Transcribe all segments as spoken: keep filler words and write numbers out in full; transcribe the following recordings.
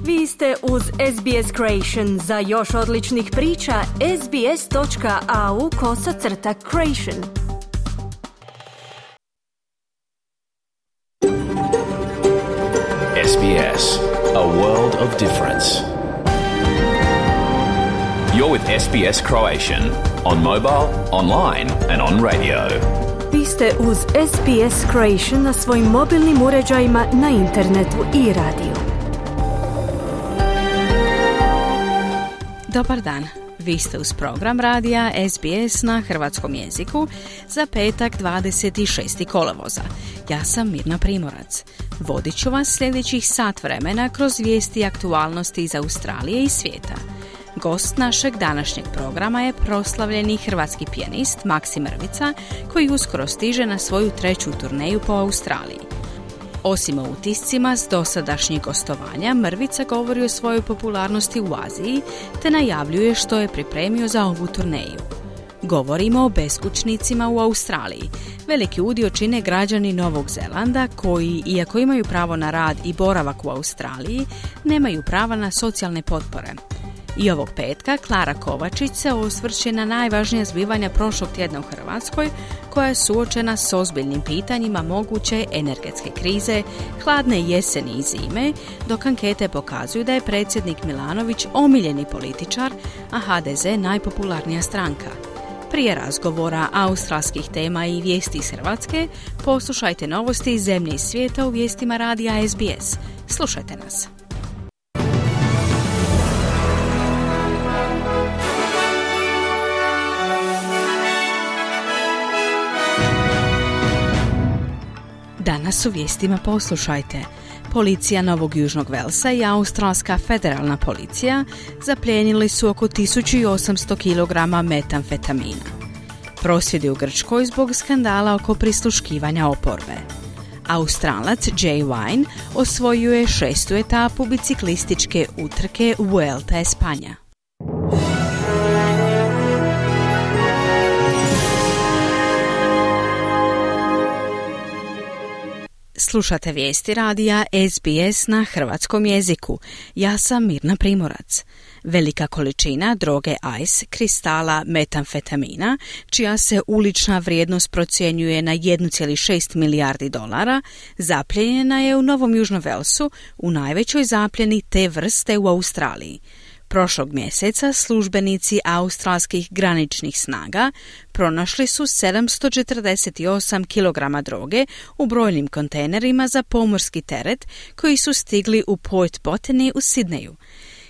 Vi ste uz S B S Creation. Za još odličnih priča, sbs.au kosacrta creation. S B S, a world of difference. You're with S B S Croatian on mobile, online and on radio. Vi ste uz S B S Creation na svojim mobilnim uređajima, na internetu i radiju. Dobar dan, vi ste uz program radija S B S na hrvatskom jeziku za petak dvadeset šestog kolovoza. Ja sam Mirna Primorac. Vodit ću vas sljedećih sat vremena kroz vijesti i aktualnosti iz Australije i svijeta. Gost našeg današnjeg programa je proslavljeni hrvatski pijanist Maksim Mrvica, koji uskoro stiže na svoju treću turneju po Australiji. Osim o utiscima s dosadašnjih gostovanja, Mrvica govori o svojoj popularnosti u Aziji te najavljuje što je pripremio za ovu turneju. Govorimo o beskućnicima u Australiji. Veliki udio čine građani Novog Zelanda koji, iako imaju pravo na rad i boravak u Australiji, nemaju prava na socijalne potpore. I ovog petka Klara Kovačić se osvrće na najvažnija zbivanja prošlog tjedna u Hrvatskoj, koja je suočena s ozbiljnim pitanjima moguće energetske krize, hladne jeseni i zime, dok ankete pokazuju da je predsjednik Milanović omiljeni političar, a H D Z najpopularnija stranka. Prije razgovora australskih tema i vijesti iz Hrvatske, poslušajte novosti iz zemlje i svijeta u vijestima radija S B S. Slušajte nas. Danas u vijestima poslušajte. Policija Novog Južnog Velsa i Australska federalna policija zaplijenili su oko tisuću osamsto kilograma metamfetamina. Prosvjedi u Grčkoj zbog skandala oko prisluškivanja oporbe. Australac Jay Vine osvojio je šestu etapu biciklističke utrke Vuelta Espanja. Slušate vijesti radija S B S na hrvatskom jeziku. Ja sam Mirna Primorac. Velika količina droge ice, kristala metamfetamina, čija se ulična vrijednost procjenjuje na jedan zarez šest milijardi dolara, zaplijenjena je u Novom Južnom Velsu, u najvećoj zapljeni te vrste u Australiji. Prošlog mjeseca službenici australskih graničnih snaga pronašli su sedamsto četrdeset osam kilograma droge u brojnim kontejnerima za pomorski teret koji su stigli u Port Botany u Sidneju.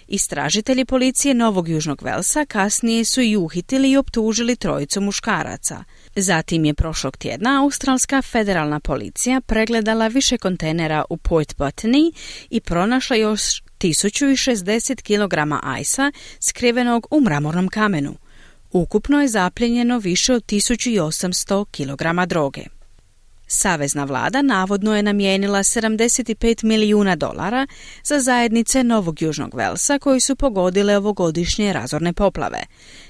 Istražitelji policije Novog Južnog Velsa kasnije su i uhitili i optužili trojicu muškaraca. Zatim je prošlog tjedna Australska federalna policija pregledala više kontejnera u Port Botany i pronašla još tisuću šezdeset kilograma ajsa skrivenog u mramornom kamenu. Ukupno je zaplijenjeno više od tisuću osamsto kilograma droge. Savezna vlada navodno je namijenila sedamdeset pet milijuna dolara za zajednice Novog Južnog Velsa koji su pogodile ovogodišnje razorne poplave.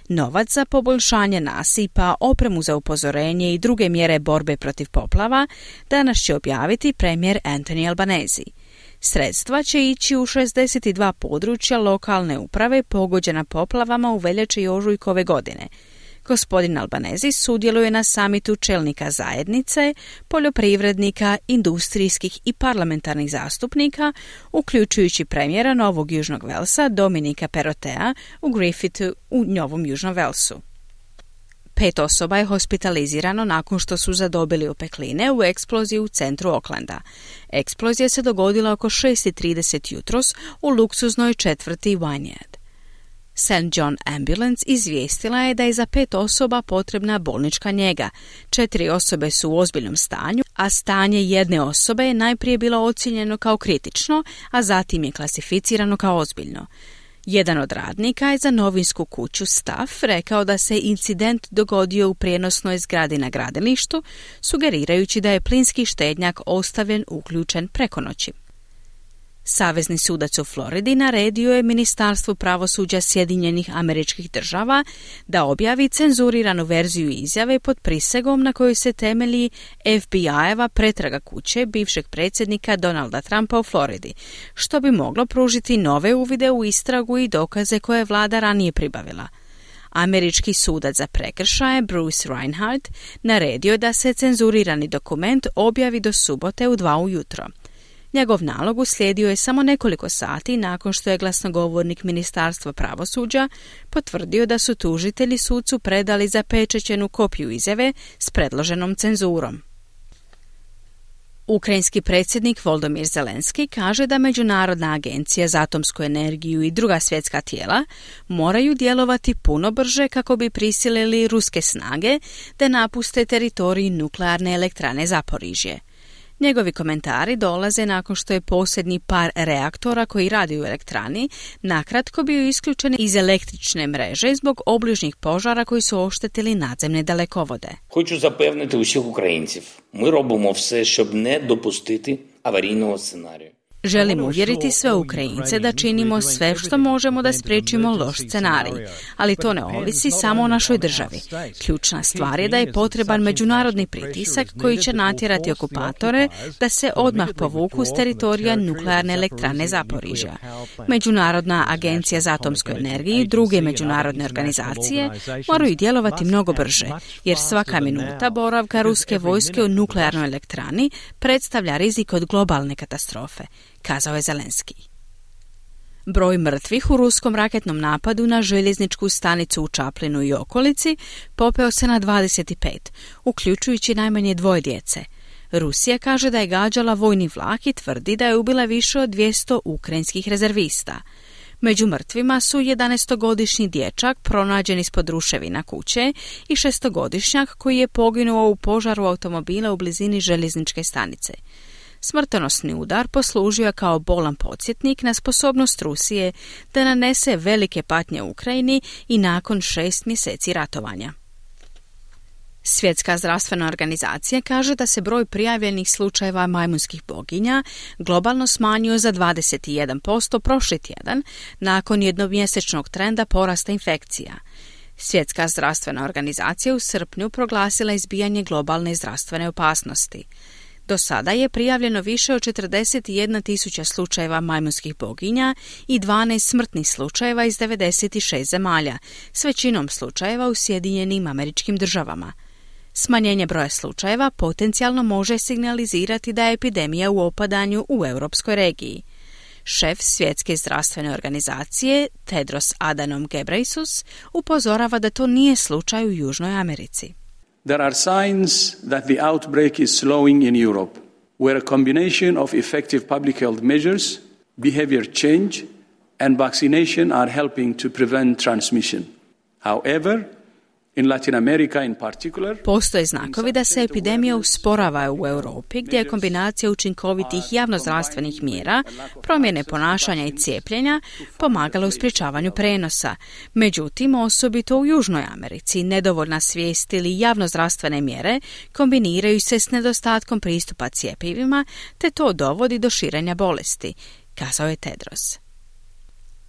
Novac za poboljšanje nasipa, opremu za upozorenje i druge mjere borbe protiv poplava danas će objaviti premijer Anthony Albanese. Sredstva će ići u šezdeset dva područja lokalne uprave pogođena poplavama u veljači i ožujku ove godine. Gospodin Albanese sudjeluje na samitu čelnika zajednice, poljoprivrednika, industrijskih i parlamentarnih zastupnika, uključujući premijera Novog Južnog Velsa Dominika Perrottea u Griffithu u Novom Južnom Velsu. Pet osoba je hospitalizirano nakon što su zadobili opekline u eksploziji u centru Aucklanda. Eksplozija se dogodila oko šest i trideset jutros u luksuznoj četvrti Wynyard. Saint John Ambulance izvijestila je da je za pet osoba potrebna bolnička njega. Četiri osobe su u ozbiljnom stanju, a stanje jedne osobe je najprije bilo ocijenjeno kao kritično, a zatim je klasificirano kao ozbiljno. Jedan od radnika je za novinsku kuću Staff rekao da se incident dogodio u prijenosnoj zgradi na gradilištu, sugerirajući da je plinski štednjak ostavljen uključen preko noći. Savezni sudac u Floridi naredio je Ministarstvu pravosuđa Sjedinjenih Američkih Država da objavi cenzuriranu verziju izjave pod prisegom na kojoj se temelji F B I-eva pretraga kuće bivšeg predsjednika Donalda Trumpa u Floridi, što bi moglo pružiti nove uvide u istragu i dokaze koje je vlada ranije pribavila. Američki sudac za prekršaje Bruce Reinhardt naredio da se cenzurirani dokument objavi do subote u dva ujutro. Njegov nalog uslijedio je samo nekoliko sati nakon što je glasnogovornik Ministarstva pravosuđa potvrdio da su tužitelji sucu predali zapečaćenu kopiju izjave s predloženom cenzurom. Ukrajinski predsjednik Volodymyr Zelenski kaže da Međunarodna agencija za atomsku energiju i druga svjetska tijela moraju djelovati puno brže kako bi prisilili ruske snage da napuste teritorij nuklearne elektrane Zaporižje. Njegovi komentari dolaze nakon što je posljednji par reaktora koji radi u elektrani nakratko bio isključen iz električne mreže zbog obližnjih požara koji su oštetili nadzemne dalekovode. Хочу запевнити усіх українців. Ми робимо все, щоб не допустити аварійного сценарію. Želim uvjeriti sve Ukrajince da činimo sve što možemo da spriječimo loš scenarij, ali to ne ovisi samo o našoj državi. Ključna stvar je da je potreban međunarodni pritisak koji će natjerati okupatore da se odmah povuku s teritorija nuklearne elektrane Zaporižja. Međunarodna agencija za atomsku energiju i druge međunarodne organizacije moraju djelovati mnogo brže, jer svaka minuta boravka ruske vojske u nuklearnoj elektrani predstavlja rizik od globalne katastrofe, kazao je Zelenski. Broj mrtvih u ruskom raketnom napadu na željezničku stanicu u Čaplinu i okolici popeo se na dvadeset pet, uključujući najmanje dvoje djece. Rusija kaže da je gađala vojni vlak i tvrdi da je ubila više od dvjesto ukrajinskih rezervista. Među mrtvima su jedanaestogodišnji dječak pronađen ispod ruševina kuće i šestogodišnjak koji je poginuo u požaru automobila u blizini željezničke stanice. Smrtonosni udar poslužio je kao bolan podsjetnik na sposobnost Rusije da nanese velike patnje Ukrajini i nakon šest mjeseci ratovanja. Svjetska zdravstvena organizacija kaže da se broj prijavljenih slučajeva majmunskih boginja globalno smanjio za dvadeset jedan posto prošli tjedan nakon jednomjesečnog trenda porasta infekcija. Svjetska zdravstvena organizacija u srpnju proglasila izbijanje globalne zdravstvene opasnosti. Do sada je prijavljeno više od četrdeset jedna tisuća slučajeva majmunskih boginja i dvanaest smrtnih slučajeva iz devedeset šest zemalja, s većinom slučajeva u Sjedinjenim Američkim Državama. Smanjenje broja slučajeva potencijalno može signalizirati da je epidemija u opadanju u europskoj regiji. Šef Svjetske zdravstvene organizacije, Tedros Adhanom Ghebreyesus, upozorava da to nije slučaj u Južnoj Americi. There are signs that the outbreak is slowing in Europe, where a combination of effective public health measures, behavior change, and vaccination are helping to prevent transmission. However, in Latin America in particular, postoje znakovi da se epidemija usporava u Europi, gdje je kombinacija učinkovitih javnozdravstvenih mjera, promjene ponašanja i cijepljenja pomagala u sprječavanju prenosa. Međutim, osobito u Južnoj Americi, nedovoljna svijest ili javnozdravstvene mjere kombiniraju se s nedostatkom pristupa cjepivima, te to dovodi do širenja bolesti, kazao je Tedros.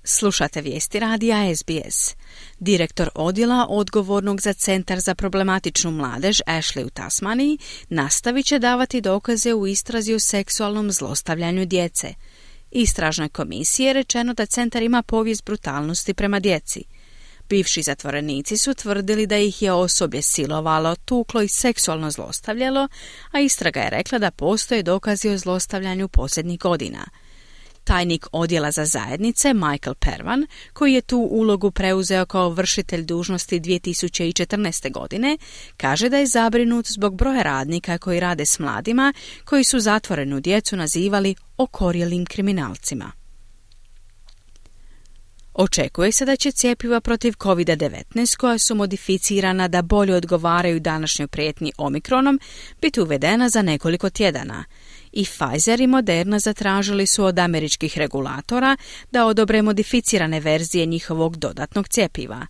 Slušate vijesti radija S B S. Direktor odjela odgovornog za Centar za problematičnu mladež Ashley u Tasmaniji nastavit će davati dokaze u istrazi o seksualnom zlostavljanju djece. Istražnoj komisiji je rečeno da centar ima povijest brutalnosti prema djeci. Bivši zatvorenici su tvrdili da ih je osoblje silovalo, tuklo i seksualno zlostavljalo, a istraga je rekla da postoje dokazi o zlostavljanju posljednjih godina. Tajnik odjela za zajednice Michael Pervan, koji je tu ulogu preuzeo kao vršitelj dužnosti dvije tisuće četrnaeste. godine, kaže da je zabrinut zbog broja radnika koji rade s mladima, koji su zatvorenu djecu nazivali okorjelim kriminalcima. Očekuje se da će cjepiva protiv kovid devetnaest, koja su modificirana da bolje odgovaraju današnjoj prijetnji omikronom, biti uvedena za nekoliko tjedana. I Pfizer i Moderna zatražili su od američkih regulatora da odobre modificirane verzije njihovog dodatnog cjepiva.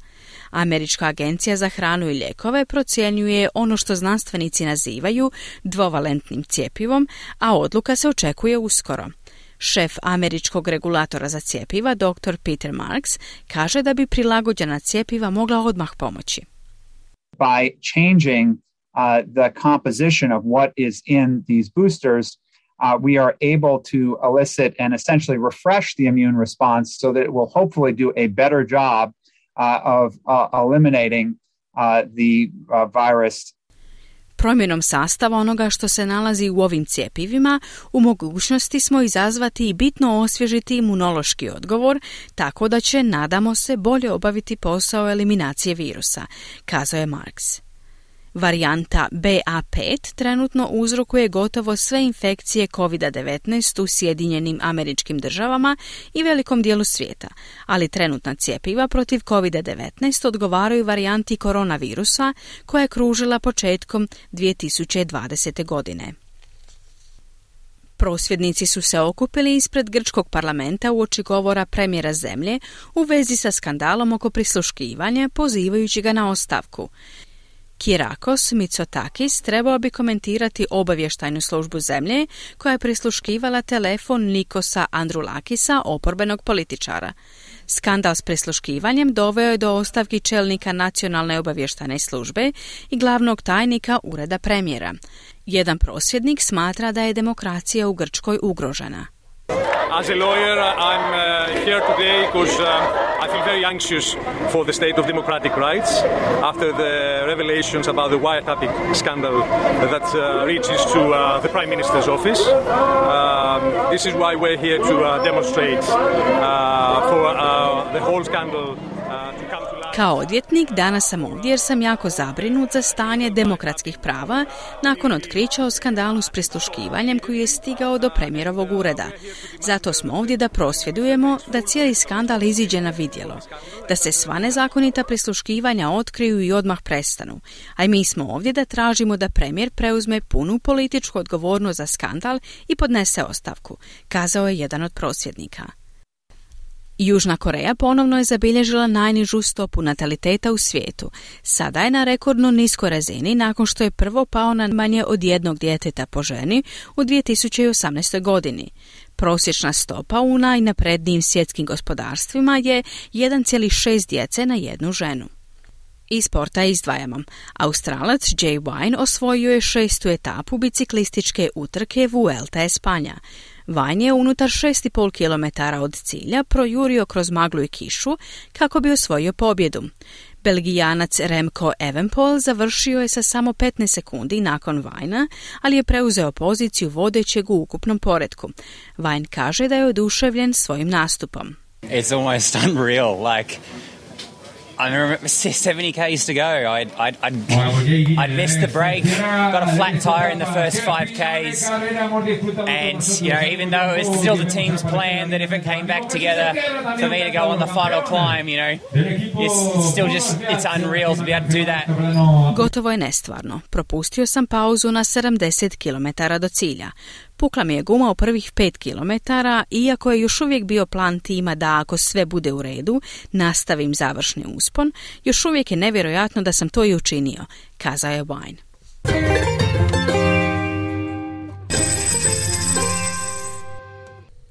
Američka agencija za hranu i lijekove procjenjuje ono što znanstvenici nazivaju dvovalentnim cjepivom, a odluka se očekuje uskoro. Šef američkog regulatora za cjepiva, doktor Peter Marks, kaže da bi prilagođena cjepiva mogla odmah pomoći. By changing uh, the composition of what is in these boosters, Uh, we are able to elicit and essentially refresh the immune response so that it will hopefully do a better job uh, of uh, eliminating uh, the uh, virus. Promjenom sastava onoga što se nalazi u ovim cjepivima, u mogućnosti smo izazvati i bitno osvježiti imunološki odgovor, tako da će, nadamo se, bolje obaviti posao eliminacije virusa, kazao je Marks. Varijanta B A pet trenutno uzrokuje gotovo sve infekcije kovid devetnaest u Sjedinjenim Američkim Državama i velikom dijelu svijeta, ali trenutna cjepiva protiv kovid devetnaest odgovaraju varijanti koronavirusa koja je kružila početkom dvije tisuće dvadesete. godine. Prosvjednici su se okupili ispred grčkog parlamenta uoči govora premijera zemlje u vezi sa skandalom oko prisluškivanja, pozivajući ga na ostavku. Kyriakos Mitsotakis trebao bi komentirati obavještajnu službu zemlje koja je prisluškivala telefon Nikosa Androulakisa, oporbenog političara. Skandal s prisluškivanjem doveo je do ostavki čelnika nacionalne obavještajne službe i glavnog tajnika ureda premijera. Jedan prosvjednik smatra da je demokracija u Grčkoj ugrožena. As a lawyer, I'm uh, here today because uh, I feel very anxious for the state of democratic rights after the revelations about the wiretapping scandal that uh, reaches to uh, the Prime Minister's office. Um, this is why we're here to uh, demonstrate uh, for uh, the whole scandal uh, to come to light. Kao odvjetnik danas sam ovdje jer sam jako zabrinut za stanje demokratskih prava nakon otkrića o skandalu s prisluškivanjem koji je stigao do premijerovog ureda. Zato smo ovdje da prosvjedujemo da cijeli skandal iziđe na vidjelo, da se sva nezakonita prisluškivanja otkriju i odmah prestanu. A i mi smo ovdje da tražimo da premijer preuzme punu političku odgovornost za skandal i podnese ostavku, kazao je jedan od prosvjednika. Južna Koreja ponovno je zabilježila najnižu stopu nataliteta u svijetu. Sada je na rekordno niskoj razini nakon što je prvo pao na manje od jednog djeteta po ženi u dvije tisuće osamnaestoj. godini. Prosječna stopa u najnaprednijim svjetskim gospodarstvima je jedan zarez šest djece na jednu ženu. Iz sporta izdvajamo. Australac Jay Vine osvojio je šestu etapu biciklističke utrke Vuelta Espanja. Vine je unutar šest i pol kilometara od cilja projurio kroz maglu i kišu kako bi osvojio pobjedu. Belgijanac Remco Evenepoel završio je sa samo petnaest sekundi nakon Vinea, ali je preuzeo poziciju vodećeg u ukupnom poretku. Vine kaže da je oduševljen svojim nastupom. It's almost unreal, like I remember seventy kays to go. I'd, I'd, I'd, I'd missed the break, got a flat tire in the first five kays, and you know, even though it was still the team's plan that if it came back together for me to go on the final climb, you know, it's still just, it's unreal to be able to do that. Gotovo je nestvarno. Propustio sam pauzu na sedamdeset kilometara do cilja. Pukla mi je guma u prvih pet kilometara, iako je još uvijek bio plan tima da ako sve bude u redu, nastavim završni uspon, još uvijek je nevjerojatno da sam to i učinio, kazao je Vine.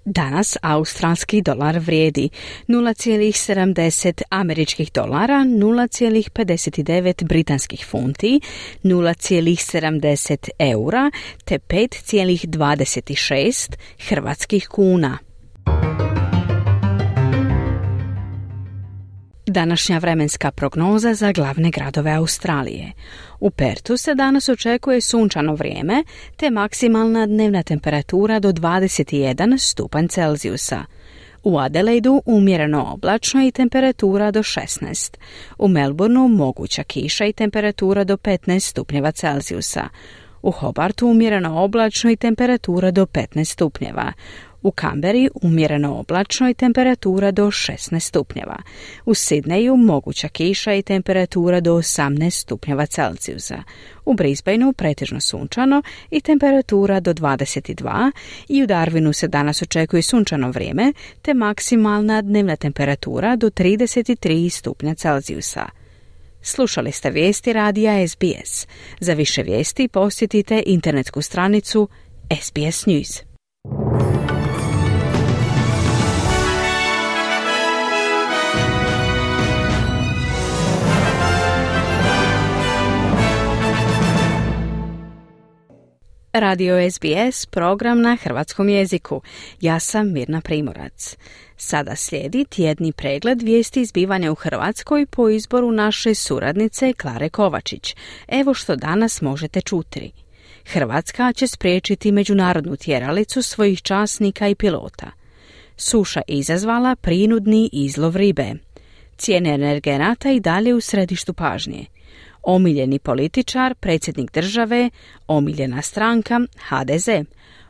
Danas australski dolar vrijedi nula zarez sedamdeset američkih dolara, nula zarez pedeset devet britanskih funti, nula zarez sedamdeset eura te pet zarez dvadeset šest hrvatskih kuna. Današnja vremenska prognoza za glavne gradove Australije. U Pertu se danas očekuje sunčano vrijeme te maksimalna dnevna temperatura do dvadeset jedan stupanj Celzijusa. U Adelaidu umjereno oblačno i temperatura do šesnaest. U Melbourneu moguća kiša i temperatura do petnaest stupnjeva Celzijusa. U Hobartu umjereno oblačno i temperatura do petnaest stupnjeva. U Kamberi umjereno oblačno i temperatura do šesnaest stupnjeva. U Sidneju moguća kiša i temperatura do osamnaest stupnjeva Celzijusa. U Brisbaneu pretežno sunčano i temperatura do dvadeset dva i u Darwinu se danas očekuje sunčano vrijeme te maksimalna dnevna temperatura do trideset tri stupnja Celzijusa. Slušali ste vijesti radija S B S. Za više vijesti posjetite internetsku stranicu S B S News. Radio S B S, program na hrvatskom jeziku. Ja sam Mirna Primorac. Sada slijedi tjedni pregled vijesti zbivanja u Hrvatskoj po izboru naše suradnice Klare Kovačić. Evo što danas možete čuti. Hrvatska će spriječiti međunarodnu tjeralicu svojih časnika i pilota. Suša izazvala prinudni izlov ribe. Cijene energenata i dalje u središtu pažnje. Omiljeni političar, predsjednik države, omiljena stranka, H D Z.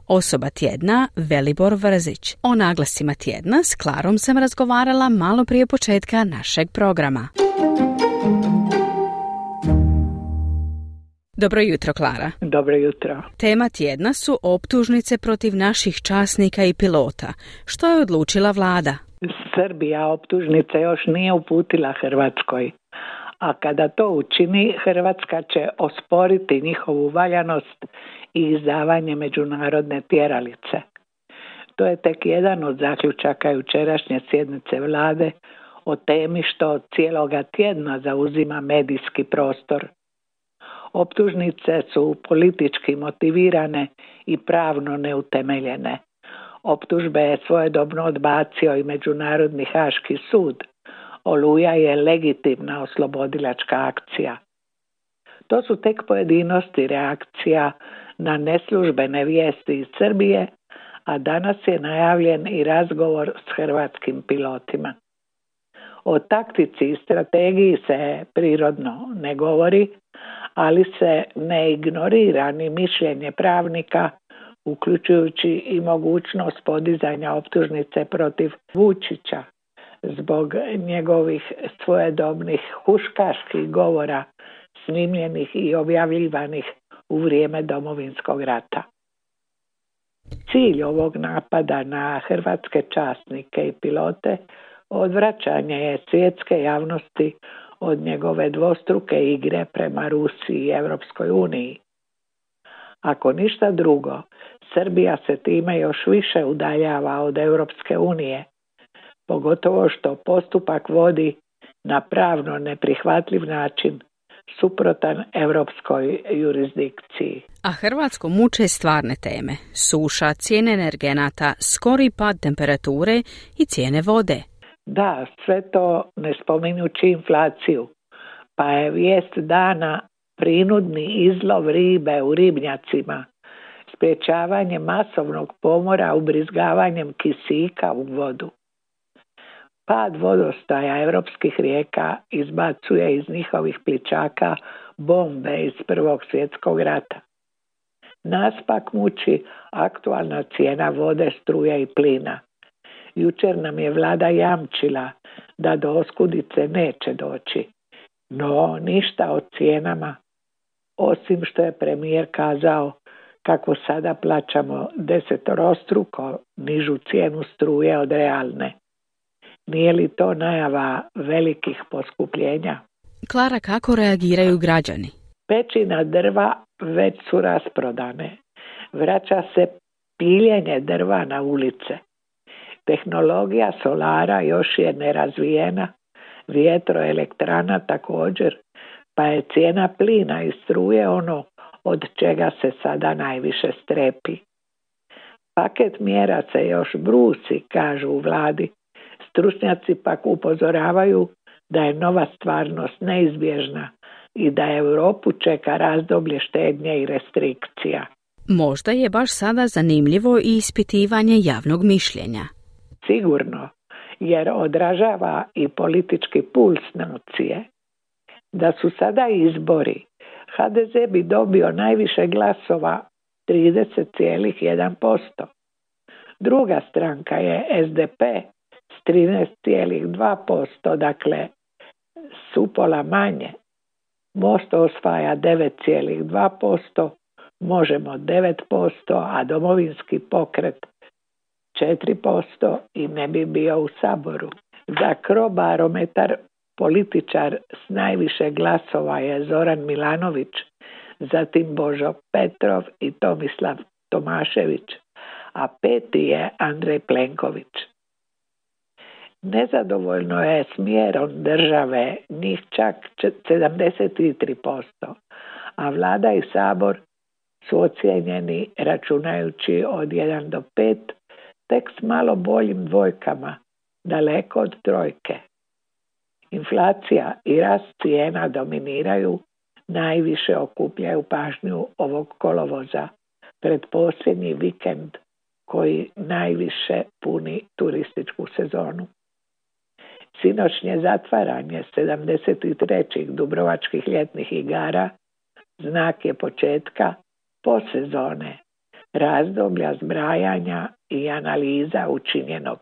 Osoba tjedna, Velibor Vrzić. O naglasima tjedna s Klarom sam razgovarala malo prije početka našeg programa. Dobro jutro, Klara. Dobro jutro. Tema tjedna su optužnice protiv naših časnika i pilota. Što je odlučila vlada? Srbija optužnice još nije uputila Hrvatskoj. A kada to učini, Hrvatska će osporiti njihovu valjanost i izdavanje međunarodne tjeralice. To je tek jedan od zaključaka jučerašnje sjednice vlade o temi što cijeloga tjedna zauzima medijski prostor. Optužnice su politički motivirane i pravno neutemeljene. Optužbe je svojedobno odbacio i Međunarodni haški sud. Oluja je legitimna oslobodilačka akcija. To su tek pojedinosti reakcija na neslužbene vijesti iz Srbije, a danas je najavljen i razgovor s hrvatskim pilotima. O taktici i strategiji se prirodno ne govori, ali se ne ignorira ni mišljenje pravnika, uključujući i mogućnost podizanja optužnice protiv Vučića zbog njegovih svojedobnih huškaških govora snimljenih i objavljivanih u vrijeme Domovinskog rata. Cilj ovog napada na hrvatske časnike i pilote odvraćanje je svjetske javnosti od njegove dvostruke igre prema Rusiji i Europskoj uniji. Ako ništa drugo, Srbija se time još više udaljava od Europske unije, pogotovo što postupak vodi na pravno neprihvatljiv način, suprotan europskoj jurisdikciji. A Hrvatsku muče stvarne teme. Suša, cijene energenata, skori pad temperature i cijene vode. Da, sve to ne spominjući inflaciju, pa je vijest dana prinudni izlov ribe u ribnjacima, sprječavanje masovnog pomora ubrizgavanjem kisika u vodu. Pad vodostaja europskih rijeka izbacuje iz njihovih plićaka bombe iz Prvog svjetskog rata. Nas pak muči aktualna cijena vode, struje i plina. Jučer nam je vlada jamčila da do oskudice neće doći, no ništa o cijenama, osim što je premijer kazao kako sada plaćamo desetorostruko nižu cijenu struje od realne. Nije li to najava velikih poskupljenja? Klara, kako reagiraju građani? Pećina drva već su rasprodane. Vraća se piljenje drva na ulice. Tehnologija solara još je nerazvijena, vjetroelektrana također, pa je cijena plina i struje ono od čega se sada najviše strepi. Paket mjera se još brusi, kažu u vladi. Stručnjaci pak upozoravaju da je nova stvarnost neizbježna i da Europu čeka razdoblje štednje i restrikcija. Možda je baš sada zanimljivo i ispitivanje javnog mišljenja. Sigurno, jer odražava i politički puls nacije. Da su sada izbori, H D Z bi dobio najviše glasova, trideset zarez jedan posto. Druga stranka je S D P s trinaest zarez dva posto, dakle s upola manje. Most osvaja devet zarez dva posto, Možemo devet posto, a Domovinski pokret četiri posto i ne bi bio u Saboru. Za Crobarometar političar s najviše glasova je Zoran Milanović, zatim Božo Petrov i Tomislav Tomašević, a peti je Andrej Plenković. Nezadovoljno je smjerom države, njih čak sedamdeset tri posto, a vlada i Sabor su ocijenjeni, računajući od jedan do pet, tek s malo boljim dvojkama, daleko od trojke. Inflacija i rast cijena dominiraju, najviše okupljaju pažnju ovog kolovoza pred posljednji vikend koji najviše puni turističku sezonu. Sinoćnje zatvaranje sedamdeset trećih dubrovačkih ljetnih igara znak je početka postsezone, razdoblja zbrajanja i analiza učinjenog.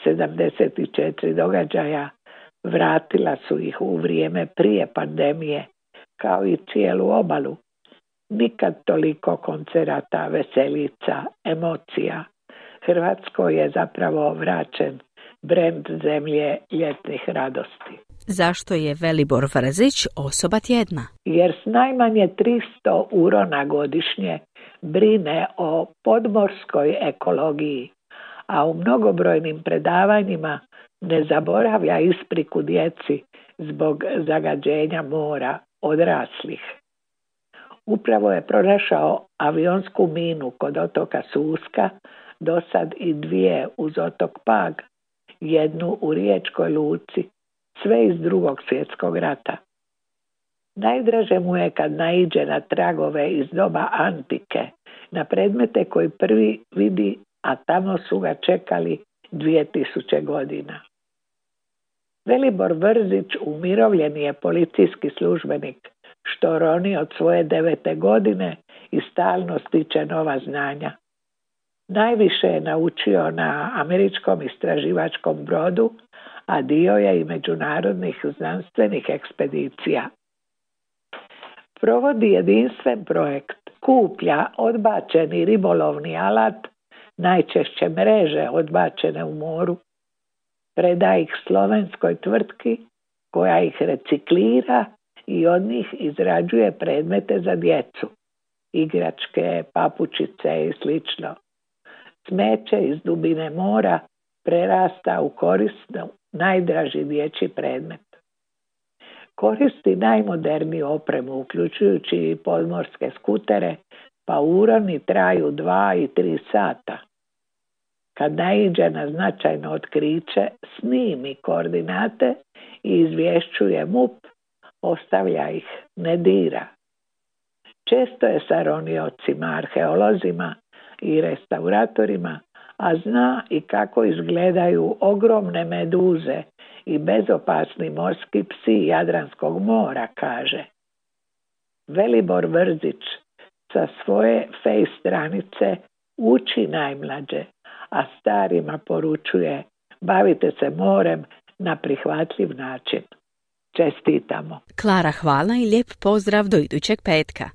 sedamdeset četiri događaja vratila su ih u vrijeme prije pandemije, kao i cijelu obalu. Nikad toliko koncerata, veselica, emocija. Hrvatskoj je zapravo vraćen brend zemlje ljetnih radosti. Zašto je Velibor Vrzić osoba tjedna? Jer s najmanje tristo urona godišnje brine o podmorskoj ekologiji, a u mnogobrojnim predavanjima ne zaboravlja ispriku djeci zbog zagađenja mora odraslih. Upravo je pronašao avionsku minu kod otoka Suska, dosad i dvije uz otok Pag, jednu u Riječkoj luci, sve iz Drugog svjetskog rata. Najdraže mu je kad naiđe na tragove iz doba antike, na predmete koji prvi vidi, a tamo su ga čekali dvije tisuće godina. Velibor Vrzić umirovljeni je policijski službenik, što roni od svoje devete godine i stalno stiče nova znanja. Najviše je naučio na američkom istraživačkom brodu, a dio je i međunarodnih znanstvenih ekspedicija. Provodi jedinstven projekt, kuplja odbačeni ribolovni alat, najčešće mreže odbačene u moru, preda ih slovenskoj tvrtki koja ih reciklira i od njih izrađuje predmete za djecu, igračke, papučice i slično. Smeće iz dubine mora prerasta u korisno najdraži dječji predmet. Koristi najmoderniju opremu, uključujući i podmorske skutere, pa uroni traju dva i tri sata. Kad naiđe na značajno otkriće, snimi koordinate i izvješćuje M U P, ostavlja ih, ne dira. Često je sa roniocima, arheolozima i restauratorima, a zna i kako izgledaju ogromne meduze i bezopasni morski psi Jadranskog mora, kaže. Velibor Vrzić sa svoje face stranice uči najmlađe, a starima poručuje: bavite se morem na prihvatljiv način. Čestitamo. Klara, hvala i lijep pozdrav do idućeg petka.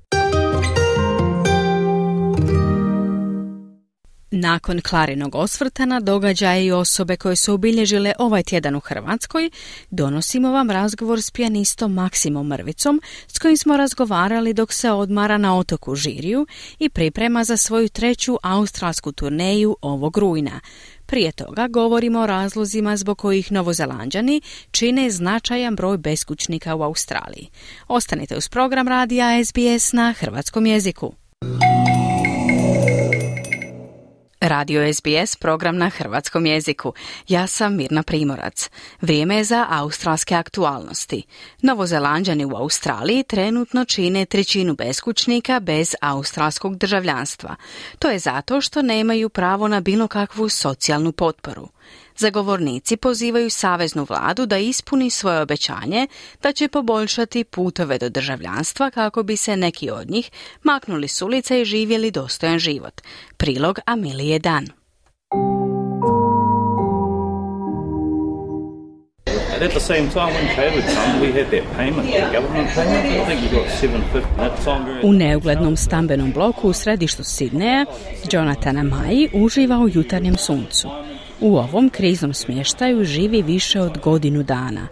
Nakon Klarinog osvrta na događaje i osobe koje su obilježile ovaj tjedan u Hrvatskoj, donosimo vam razgovor s pijanistom Maksimom Mrvicom, s kojim smo razgovarali dok se odmara na otoku Žiriju i priprema za svoju treću australsku turneju ovog rujna. Prije toga govorimo o razlozima zbog kojih Novozelanđani čine značajan broj beskućnika u Australiji. Ostanite uz program radija S B S na hrvatskom jeziku. Radio S B S, program na hrvatskom jeziku. Ja sam Mirna Primorac. Vrijeme je za australske aktualnosti. Novozelanđani u Australiji trenutno čine trećinu beskućnika bez australskog državljanstva. To je zato što nemaju pravo na bilo kakvu socijalnu potporu. Zagovornici pozivaju saveznu vladu da ispuni svoje obećanje da će poboljšati putove do državljanstva kako bi se neki od njih maknuli s ulice i živjeli dostojan život. Prilog Amilije Dan. At the same time, when COVID came, we had that payment, the government payment. I think we got seven fifty. That time. U neuglednom stambenom bloku u središtu Sidneja, Jonathan Amayi uživa u jutarnjem suncu. U ovom kriznom smještaju živi više od godinu dana.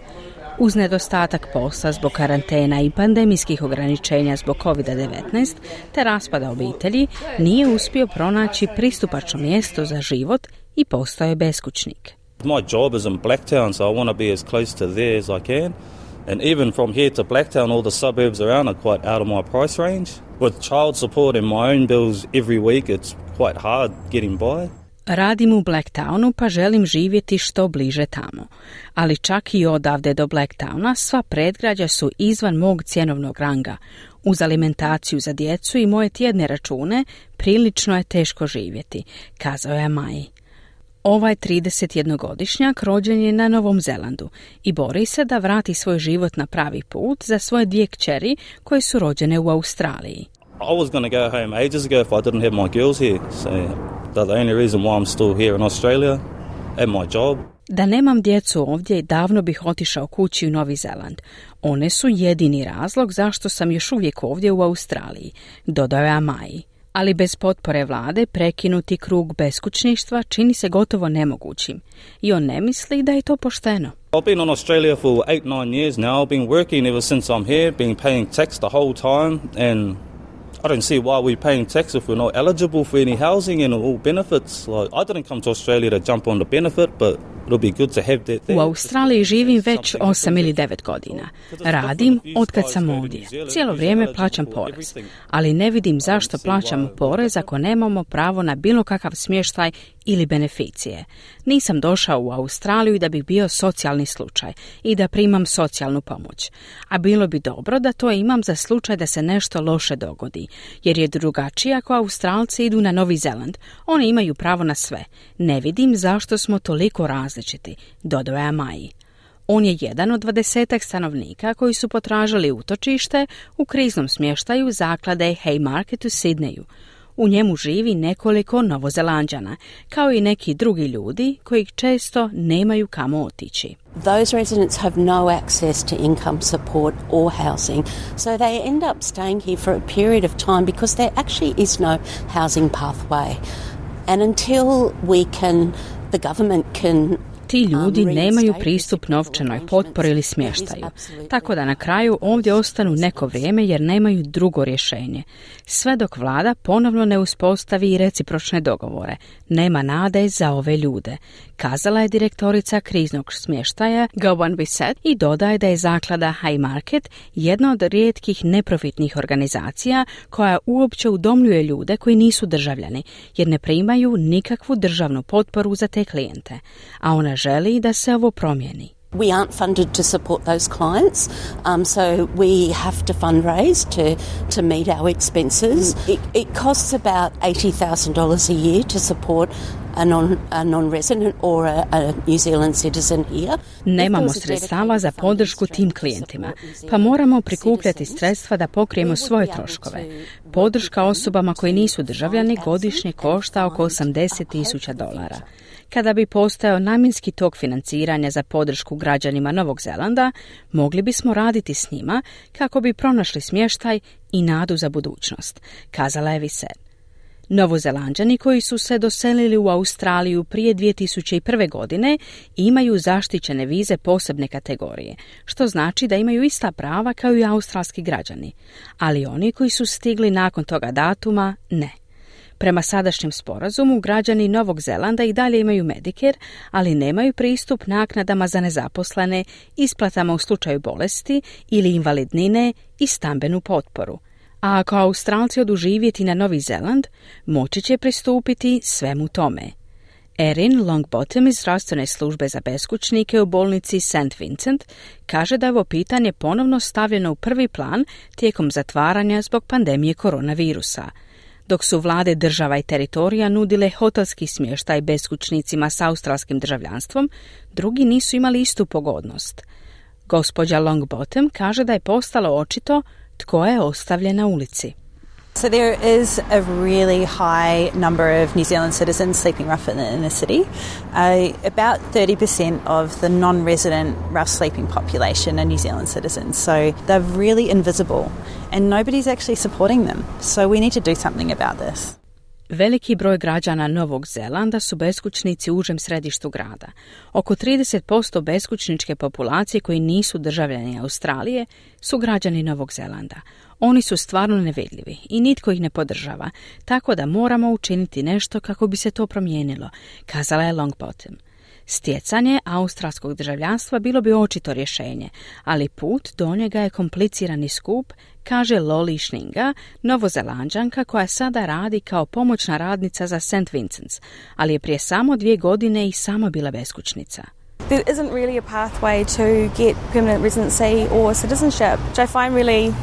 Uz nedostatak posla zbog karantena i pandemijskih ograničenja zbog kovid devetnaest te raspada obitelji, nije uspio pronaći pristupačno mjesto za život i postao je beskućnik. My job is in Blacktown, so I want to be as close to there as I can. And even from here to Blacktown, all the suburbs around are quite out of my price range. With child support and my own bills every week, it's quite hard getting by. Radim u Blacktownu pa želim živjeti što bliže tamo. Ali čak i odavde do Blacktowna sva predgrađa su izvan mog cjenovnog ranga. Uz alimentaciju za djecu i moje tjedne račune prilično je teško živjeti, kazao je Maji. Ovaj tridesetjednogodišnjak rođen je na Novom Zelandu i bori se da vrati svoj život na pravi put za svoje dvije kćeri koje su rođene u Australiji. I was going to go home ages ago if I didn't have my girls here. So the only reason why I'm still here in Australia and my job. Da nemam djecu ovdje, davno bih otišao kući u Novi Zeland. One su jedini razlog zašto sam još uvijek ovdje u Australiji, dodao je Amaji. Ali bez potpore vlade prekinuti krug beskućništva čini se gotovo nemogućim. I on ne misli da je to pošteno. I've been in Australia for eight, nine years now. I've been working ever since I'm here, been paying tax the whole time, and I don't see why we're paying tax if we're not eligible for any housing and all benefits. Like, I didn't come to Australia to jump on the benefit, but it'll be good to have that there. U Australiji živim već osam ili devet godina. Radim otkad sam ovdje. Cijelo vrijeme plaćam porez. Ali ne vidim zašto plaćamo porez ako nemamo pravo na bilo kakav smještaj ili beneficije. Nisam došao u Australiju da bih bio socijalni slučaj i da primam socijalnu pomoć. A bilo bi dobro da to imam za slučaj da se nešto loše dogodi. Jer je drugačije ako Australci idu na Novi Zeland. Oni imaju pravo na sve. Ne vidim zašto smo toliko različiti, dodao je Amaji. On je jedan od dvadesetak stanovnika koji su potražili utočište u kriznom smještaju zaklade Haymarket u Sidneju. U njemu živi nekoliko Novozelanđana, kao i neki drugi ljudi koji često nemaju kamo otići. Those residents have no access to income support or housing, so they end up staying here for a period of time because there actually is no housing pathway. And until we can, the government can Ti ljudi nemaju pristup novčanoj potpori ili smještaju, tako da na kraju ovdje ostanu neko vrijeme jer nemaju drugo rješenje. Sve dok vlada ponovno ne uspostavi recipročne dogovore, nema nade za ove ljude, kazala je direktorica kriznog smještaja Gowan Bissett i dodaje da je zaklada Haymarket jedna od rijetkih neprofitnih organizacija koja uopće udomljuje ljude koji nisu državljani jer ne primaju nikakvu državnu potporu za te klijente, a ona želi da se ovo promijeni. We aren't funded to support those clients, um, so we have to fundraise to, to meet our expenses. It, it costs about eighty thousand dollars a year to support a, non, a non-resident or a, a New Zealand citizen here. Nemamo sredstava za podršku tim klijentima, pa moramo prikupljati sredstva da pokrijemo svoje troškove. Podrška osobama koji nisu državljani godišnje košta oko osamdeset tisuća dolara. Kada bi postojao namjenski tok financiranja za podršku građanima Novog Zelanda, mogli bismo raditi s njima kako bi pronašli smještaj i nadu za budućnost, kazala je Bissett. Novozelanđani koji su se doselili u Australiju prije dvije tisuće prve. godine imaju zaštićene vize posebne kategorije, što znači da imaju ista prava kao i australski građani, ali oni koji su stigli nakon toga datuma, ne. Prema sadašnjem sporazumu, građani Novog Zelanda i dalje imaju Medicare, ali nemaju pristup naknadama za nezaposlene, isplatama u slučaju bolesti ili invalidnine i stambenu potporu. A ako Australci odu živjeti na Novi Zeland, moći će pristupiti svemu tome. Erin Longbottom iz zdravstvene službe za beskućnike u bolnici Saint Vincent kaže da je ovo pitanje ponovno stavljeno u prvi plan tijekom zatvaranja zbog pandemije koronavirusa. Dok su vlade država i teritorija nudile hotelski smještaj beskućnicima s australskim državljanstvom, drugi nisu imali istu pogodnost. Gospođa Longbottom kaže da je postalo očito tko je ostavljen na ulici. So there is a really high number of New Zealand citizens sleeping rough in the inner city. Uh, about thirty percent of the non-resident rough sleeping population are New Zealand citizens. So they're really invisible and nobody's actually supporting them. So we need to do something about this. Veliki broj građana Novog Zelanda su beskućnici u užem središtu grada. Oko trideset posto beskućničke populacije koji nisu državljani Australije su građani Novog Zelanda. Oni su stvarno nevidljivi i nitko ih ne podržava, tako da moramo učiniti nešto kako bi se to promijenilo, kazala je Longbottom. Stjecanje australskog državljanstva bilo bi očito rješenje, ali put do njega je kompliciran i skup, kaže Loli Schninga, Novozelanđanka koja sada radi kao pomoćna radnica za Saint Vincent's, ali je prije samo dvije godine i sama bila beskućnica. There isn't really a pathway to get permanent residency or citizenship, which I find really,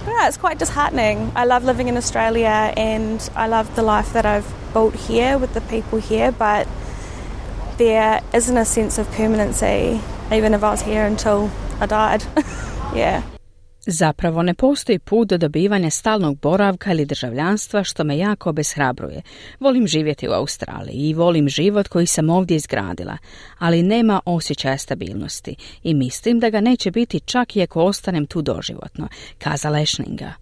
yeah, it's quite disheartening. I love living in Australia and I love the life that I've built here with the people here, but there isn't a sense of permanency, even if I was here until I died. Yeah. Zapravo ne postoji put do dobivanja stalnog boravka ili državljanstva, što me jako obeshrabruje. Volim živjeti u Australiji i volim život koji sam ovdje izgradila, ali nema osjećaja stabilnosti i mislim da ga neće biti čak i ako ostanem tu doživotno, kazala je Schninga.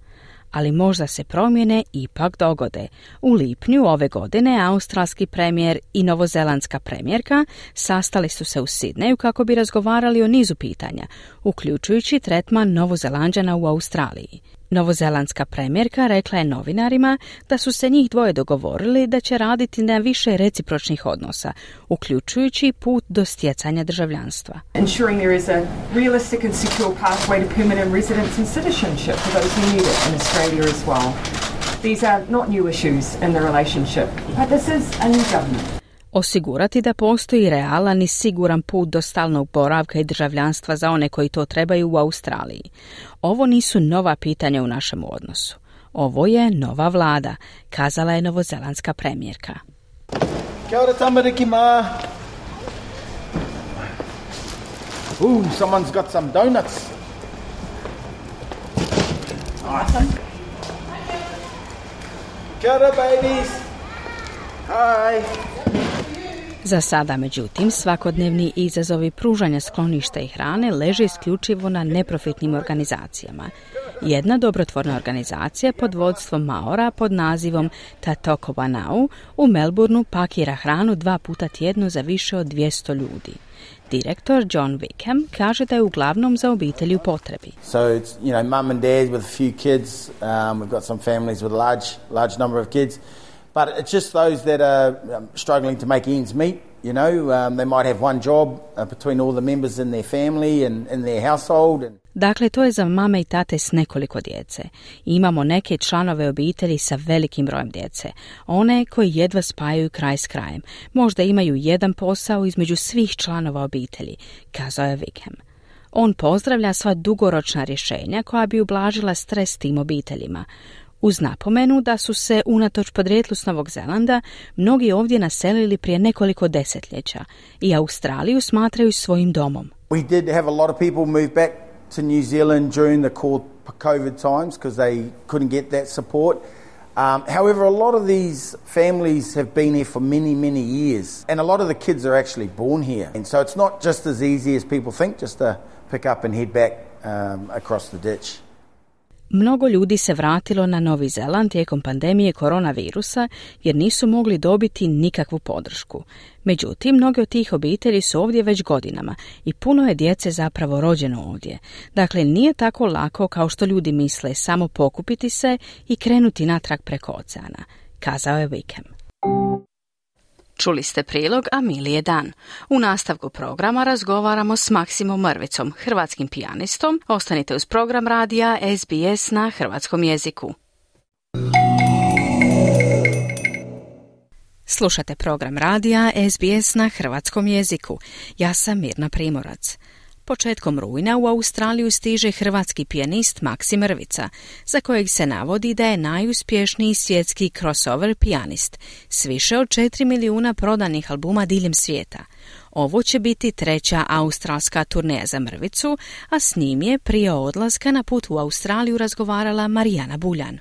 Ali možda se promjene ipak dogode. U lipnju ove godine australski premijer i novozelandska premijerka sastali su se u Sidneju kako bi razgovarali o nizu pitanja, uključujući tretman Novozelanđana u Australiji. Novozelandska premijerka rekla je novinarima da su se njih dvoje dogovorili da će raditi na više recipročnih odnosa, uključujući put do stjecanja državljanstva. Ensuring there is a realistic and secure pathway to permanent residence and citizenship for those who need it in Australia as well. These are not new issues in the relationship, but this is a new government. Osigurati da postoji realan i siguran put do stalnog boravka i državljanstva za one koji to trebaju u Australiji. Ovo nisu nova pitanja u našem odnosu. Ovo je nova vlada, kazala je novozelandska premijerka. Kia ora tamariki ma. Ooh, someone's got some donuts. Awesome. Kia ora babies. Hi. Za sada, međutim, svakodnevni izazovi pružanja skloništa i hrane leže isključivo na neprofitnim organizacijama. Jedna dobrotvorna organizacija pod vodstvom Maora pod nazivom Tatoko Wanau u Melbourneu pakira hranu dva puta tjedno za više od dvjesto ljudi. Direktor John Wickham kaže da je uglavnom za obitelji u potrebi. So it's, you know, mum and dad with a few kids. Um, we've got some families with a large, large number of kids. But it's just those that are um, struggling to make ends meet, you know. Um, they might have one job uh, between all the members in their family and in their household. And Dakle, to je za mame i tate s nekoliko djece. Imamo neke članove obitelji sa velikim brojem djece. One koji jedva spajaju kraj s krajem. Možda imaju jedan posao između svih članova obitelji, kazao je Wickham. On pozdravlja sva dugoročna rješenja koja bi ublažila stres tim obiteljima. Uz napomenu da su se, unatoč podrijetlu s Novog Zelanda, mnogi ovdje naselili prije nekoliko desetljeća i Australiju smatraju svojim domom. We did have a lot of people move back to New Zealand during the COVID times because they couldn't get that support. Um, however, a lot of these families have been here for many, many years, and a lot of the kids are actually born here. And so it's not just as easy as people think, just to pick up and head back um, across the ditch. Mnogo ljudi se vratilo na Novi Zeland tijekom pandemije koronavirusa jer nisu mogli dobiti nikakvu podršku. Međutim, mnoge od tih obitelji su ovdje već godinama i puno je djece zapravo rođeno ovdje. Dakle, nije tako lako kao što ljudi misle samo pokupiti se i krenuti natrag preko oceana, kazao je Wickham. Čuli ste prilog Amilije Dan. U nastavku programa razgovaramo s Maksimom Mrvicom, hrvatskim pijanistom. Ostanite uz program radija S B S na hrvatskom jeziku. Slušate program radija S B S na hrvatskom jeziku. Ja sam Mirna Primorac. Početkom rujna u Australiju stiže hrvatski pijanist Maksim Mrvica, za kojeg se navodi da je najuspješniji svjetski crossover pijanist, s više od četiri milijuna prodanih albuma diljem svijeta. Ovo će biti treća australska turneja za Mrvicu, a s njim je prije odlaska na put u Australiju razgovarala Marijana Buljan.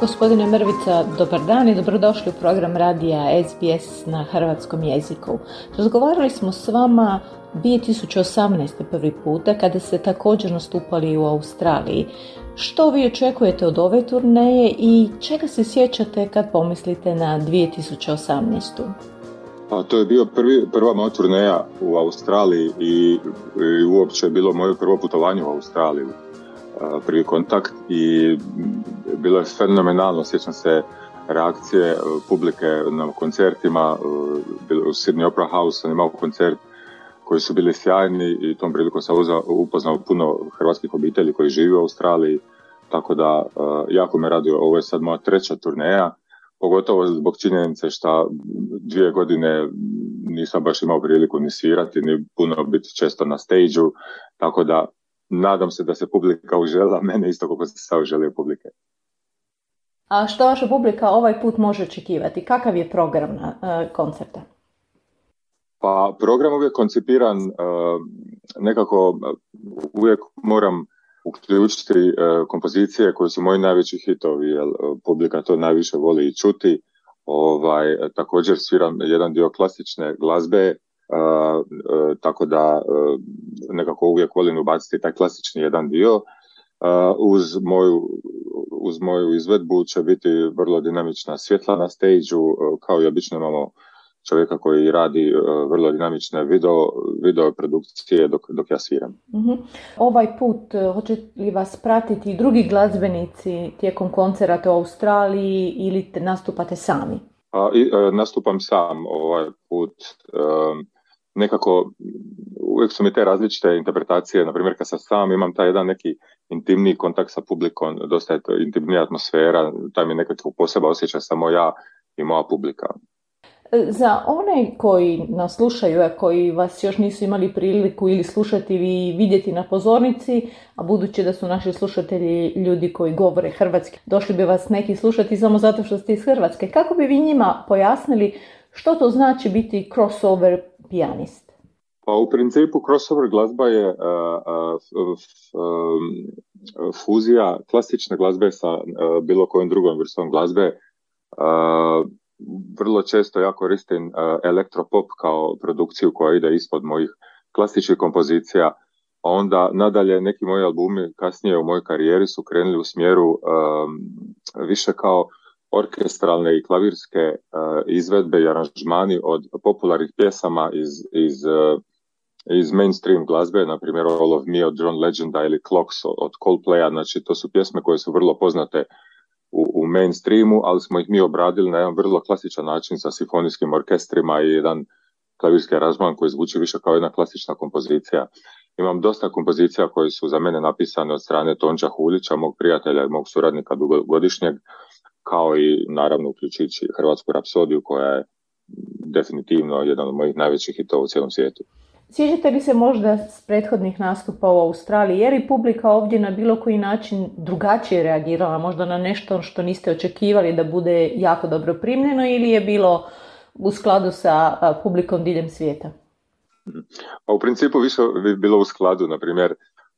Gospodine Mrvica, dobar dan i dobrodošli u program radija S B S na hrvatskom jeziku. Razgovarali smo s vama dvije tisuće osamnaeste prvi puta kada ste također nastupali u Australiji. Što vi očekujete od ove turneje i čega se sjećate kad pomislite na dvije tisuće osamnaestu? Pa to je bio prvi, prva moja turneja u Australiji i, i uopće je bilo moje prvo putovanje u Australiju, prvi kontakt, i bilo je fenomenalno. Sjećam se reakcije publike na koncertima. U Sydney Opera House sam imao koncert koji su bili sjajni i tom prilikom sam upoznao puno hrvatskih obitelji koji žive u Australiji, tako da jako me radio. Ovo je sad moja treća turneja, pogotovo zbog činjenice što dvije godine nisam baš imao priliku ni svirati, ni puno biti često na stage-u, tako da nadam se da se publika užela mene isto kako se sad uželio publike. A što vaša publika ovaj put može očekivati? Kakav je program na uh, koncerta? Pa program uvijek koncipiran, uh, nekako uh, uvijek moram uključiti uh, kompozicije koje su moji najveći hitovi, jer uh, publika to najviše voli i čuti. Ovaj, također sviram jedan dio klasične glazbe, uh, uh, tako da uh, nekako uvijek volim ubaciti taj klasični jedan dio. Uh, uz, moju, uz moju izvedbu će biti vrlo dinamična svjetla na stage-u, uh, kao i obično imamo čovjeka koji radi uh, vrlo dinamične video, video produkcije dok, dok ja sviram. Uh-huh. Ovaj put uh, hoće li vas pratiti i drugi glazbenici tijekom koncerata u Australiji ili te nastupate sami? Uh, i, uh, nastupam sam ovaj put. Uh, nekako uvijek su mi te različite interpretacije, na primjer kad sam sam imam taj jedan neki intimniji kontakt sa publikom, dosta je to intimnija atmosfera, taj mi nekako posebno osjeća samo ja i moja publika. Za one koji nas slušaju, a koji vas još nisu imali priliku ili slušati ili vidjeti na pozornici, a budući da su naši slušatelji ljudi koji govore hrvatski, došli bi vas neki slušati samo zato što ste iz Hrvatske. Kako bi vi njima pojasnili što to znači biti crossover pijanist? Pa u principu crossover glazba je uh, uh, uh, fuzija klasične glazbe sa uh, bilo kojom drugom vrstom glazbe. Uh, vrlo često ja koristim uh, elektropop kao produkciju koja ide ispod mojih klasičnih kompozicija. Onda nadalje neki moji albumi kasnije u mojoj karijeri su krenuli u smjeru um, više kao orkestralne i klavirske uh, izvedbe i aranžmani od popularnih pjesama iz, iz, uh, iz mainstream glazbe, na primjer All of Me od John Legenda ili Clocks od Coldplaya. Znači to su pjesme koje su vrlo poznate u, u mainstreamu, ali smo ih mi obradili na jedan vrlo klasičan način sa simfonijskim orkestrima i jedan klavirski aranžman koji zvuči više kao jedna klasična kompozicija. Imam dosta kompozicija koje su za mene napisane od strane Tonča Huljića, mog prijatelja i mog suradnika dugogodišnjeg, kao i naravno uključujući Hrvatsku rapsodiju koja je definitivno jedan od mojih najvećih hitova u cijelom svijetu. Sjećate li se možda s prethodnih nastupa u Australiji, je li publika ovdje na bilo koji način drugačije reagirala, možda na nešto što niste očekivali da bude jako dobro primljeno, ili je bilo u skladu sa publikom diljem svijeta? Pa u principu više bi bilo u skladu, na primjer,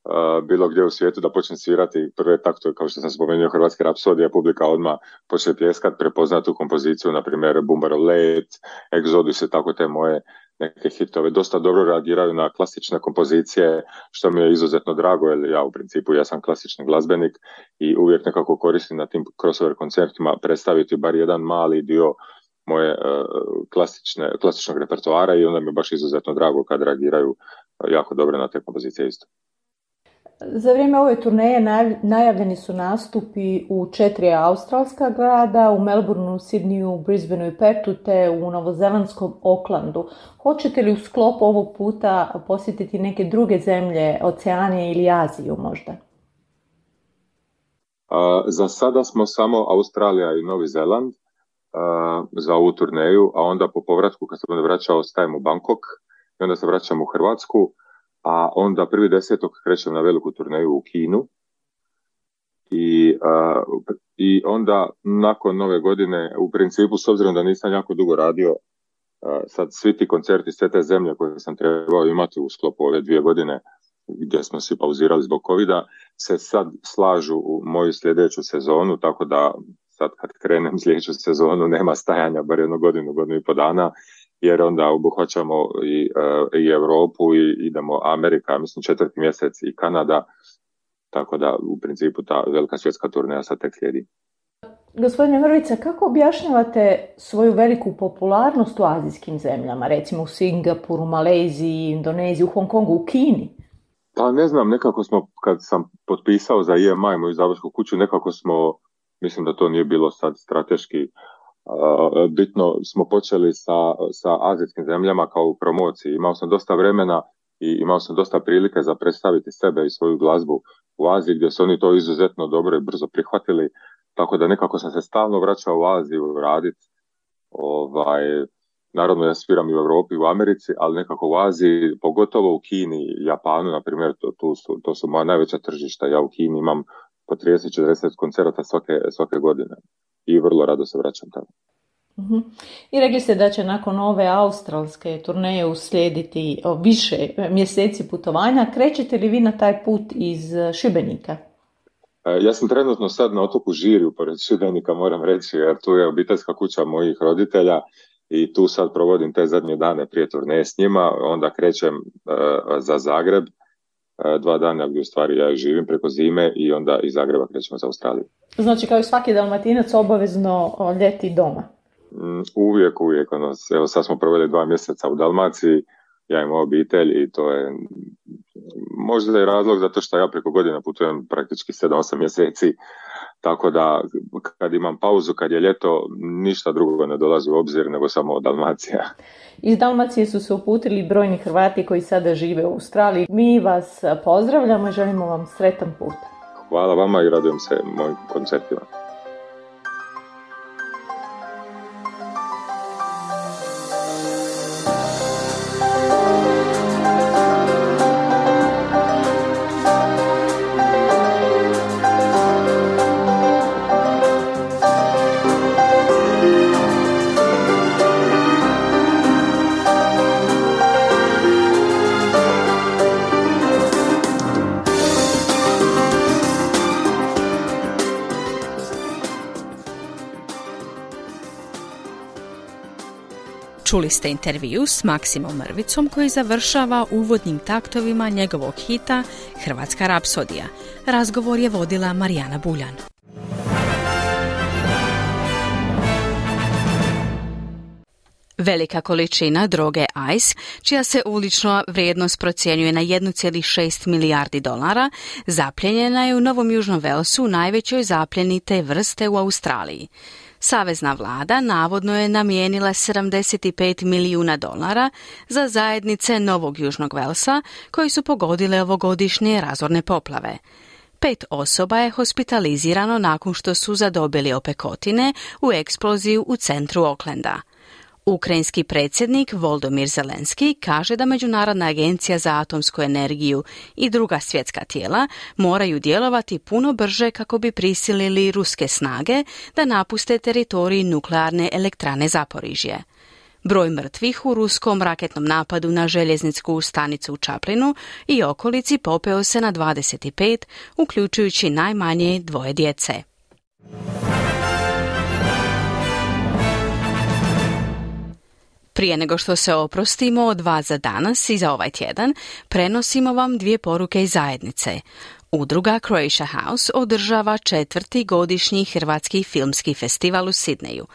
Uh, bilo gdje u svijetu da počnem svirati prve taktove, kao što sam spomenuo Hrvatske rapsodije, publika odmah počne pljeskat, prepoznati tu kompoziciju, na primjer Bumbarov let, Exodus i tako te moje neke hitove. Dosta dobro reagiraju na klasične kompozicije, što mi je izuzetno drago, jer ja u principu ja sam klasični glazbenik i uvijek nekako koristim na tim crossover koncertima predstaviti bar jedan mali dio moje uh, klasične, klasičnog repertoara, i onda mi je baš izuzetno drago kad reagiraju uh, jako dobro na te kompozicije isto. Za vrijeme ove turneje najavljeni su nastupi u četiri australska grada, u Melbourneu, Sydneyu, Brisbaneu i Perthu te u novozelandskom Aucklandu. Hoćete li u sklopu ovog puta posjetiti neke druge zemlje, Oceanije ili Aziju možda? Uh, za sada smo samo Australija i Novi Zeland uh, za ovu turneju, a onda po povratku kad se vraćao ostajem u Bangkok i onda se vraćam u Hrvatsku. A onda prvi desetog krećem na veliku turneju u Kinu i, uh, i onda nakon nove godine, u principu s obzirom da nisam jako dugo radio, uh, sad svi ti koncerti, sve te zemlje koje sam trebao imati u sklopu ove dvije godine gdje smo svi pauzirali zbog covida, se sad slažu u moju sljedeću sezonu, tako da sad kad krenem sljedeću sezonu nema stajanja, bar jednu godinu, godinu i po dana, jer onda obuhvaćamo i, i Europu i idemo Amerika, mislim četvrti mjesec i Kanada, tako da u principu ta velika svjetska turneja sad tek slijedi. Gospodine Mrvica, kako objašnjavate svoju veliku popularnost u azijskim zemljama, recimo u Singapuru, Maleziji, Indoneziji, u Hong Kongu, u Kini? Pa ne znam, nekako smo, kad sam potpisao za I M I, moju izdavačku kuću, nekako smo, mislim da to nije bilo sad strateški uh, bitno, smo počeli sa, sa azijskim zemljama kao u promociji. Imao sam dosta vremena i imao sam dosta prilike za predstaviti sebe i svoju glazbu u Aziji, gdje su oni to izuzetno dobro i brzo prihvatili, tako da nekako sam se stalno vraćao u Aziju raditi. Ovaj, naravno ja sviram i u Europi i u Americi, ali nekako u Aziji, pogotovo u Kini i Japanu, na primjer, to, to, su, to su moja najveća tržišta. Ja u Kini imam po trideset do četrdeset koncerata svake, svake godine i vrlo rado se vraćam tamo. Uh-huh. I rekli ste da će nakon ove australske turneje uslijediti više mjeseci putovanja. Krećete li vi na taj put iz Šibenika? Ja sam trenutno sad na otoku Žirju, pored Šibenika, moram reći, jer tu je obiteljska kuća mojih roditelja i tu sad provodim te zadnje dane prije turneje s njima. Onda krećem uh, za Zagreb, uh, dva dana gdje u stvari ja živim preko zime i onda iz Zagreba krećemo za Australiju. Znači kao i svaki Dalmatinac obavezno ljeti doma? Mm, uvijek, uvijek. Ono, evo sad smo proveli dva mjeseca u Dalmaciji, ja imam obitelj i to je možda je razlog zato što ja preko godina putujem praktički sedam osam mjeseci, tako da kad imam pauzu, kad je ljeto, ništa drugo ne dolazi u obzir nego samo Dalmacija. Iz Dalmacije su se uputili brojni Hrvati koji sada žive u Australiji. Mi vas pozdravljamo i želimo vam sretan put. Hvala vama i radujem se mojim koncertima. Čuli ste intervju s Maksimom Mrvicom koji završava uvodnim taktovima njegovog hita Hrvatska rapsodija. Razgovor je vodila Marijana Buljan. Velika količina droge Ice, čija se ulična vrijednost procjenjuje na jedan zarez šest milijardi dolara, zapljenjena je u Novom Južnom Velsu, najvećoj zapljeni te vrste u Australiji. Savezna vlada navodno je namijenila sedamdeset pet milijuna dolara za zajednice Novog Južnog Velsa koji su pogodile ovogodišnje razorne poplave. Pet osoba je hospitalizirano nakon što su zadobili opekotine u eksploziju u centru Aucklanda. Ukrajinski predsjednik Volodymyr Zelenski kaže da Međunarodna agencija za atomsku energiju i druga svjetska tijela moraju djelovati puno brže kako bi prisilili ruske snage da napuste teritorij nuklearne elektrane Zaporižje. Broj mrtvih u ruskom raketnom napadu na željezničku stanicu u Čaplinu i okolici popeo se na dvadeset pet, uključujući najmanje dvoje djece. Prije nego što se oprostimo od vas za danas i za ovaj tjedan, prenosimo vam dvije poruke iz zajednice. Udruga Croatia House održava četvrti godišnji Hrvatski filmski festival u Sidneju.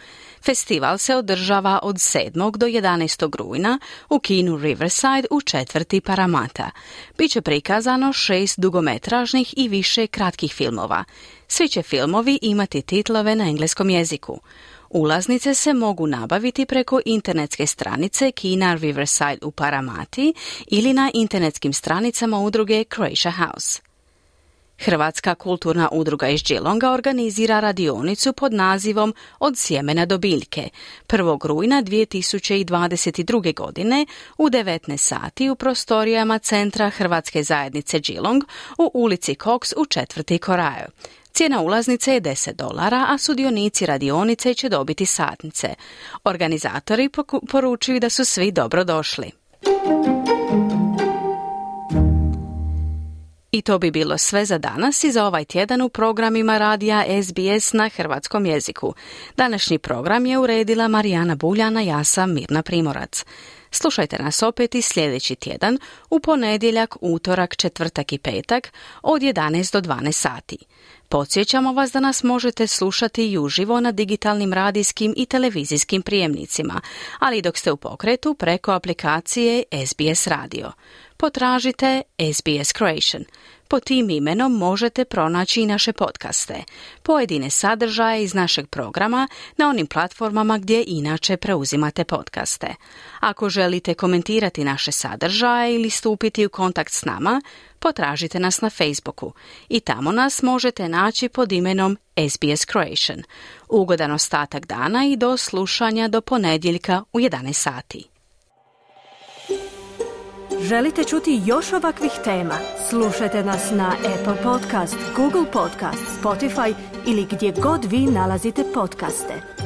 Festival se održava od sedmog do jedanaestog rujna u kinu Riverside u četvrti Paramata. Biće prikazano šest dugometražnih i više kratkih filmova. Svi će filmovi imati titlove na engleskom jeziku. Ulaznice se mogu nabaviti preko internetske stranice kina Riverside u Paramati ili na internetskim stranicama udruge Croatia House. Hrvatska kulturna udruga iz Geelonga organizira radionicu pod nazivom Od sjemena do biljke prvog rujna dvije tisuće dvadeset druge. godine u devetnaest sati u prostorijama Centra Hrvatske zajednice Geelong u ulici Cox u četvrti Koraju. Cijena ulaznice je deset dolara, a sudionici radionice će dobiti satnice. Organizatori poručuju da su svi dobro došli. I to bi bilo sve za danas i za ovaj tjedan u programima radija S B S na hrvatskom jeziku. Današnji program je uredila Marijana Buljana, ja sam Mirna Primorac. Slušajte nas opet i sljedeći tjedan u ponedjeljak, utorak, četvrtak i petak od jedanaest do dvanaest sati. Podsjećamo vas da nas možete slušati i uživo na digitalnim radijskim i televizijskim prijemnicima, ali dok ste u pokretu preko aplikacije S B S Radio. Potražite S B S Croatian. Po tim imenom možete pronaći i naše podcaste, pojedine sadržaje iz našeg programa na onim platformama gdje inače preuzimate podcaste. Ako želite komentirati naše sadržaje ili stupiti u kontakt s nama, potražite nas na Facebooku i tamo nas možete naći pod imenom S B S Croatian. Ugodan ostatak dana i do slušanja do ponedjeljka u jedanaest sati. Želite čuti još ovakvih tema? Slušajte nas na Apple Podcast, Google Podcast, Spotify ili gdje god vi nalazite podcaste.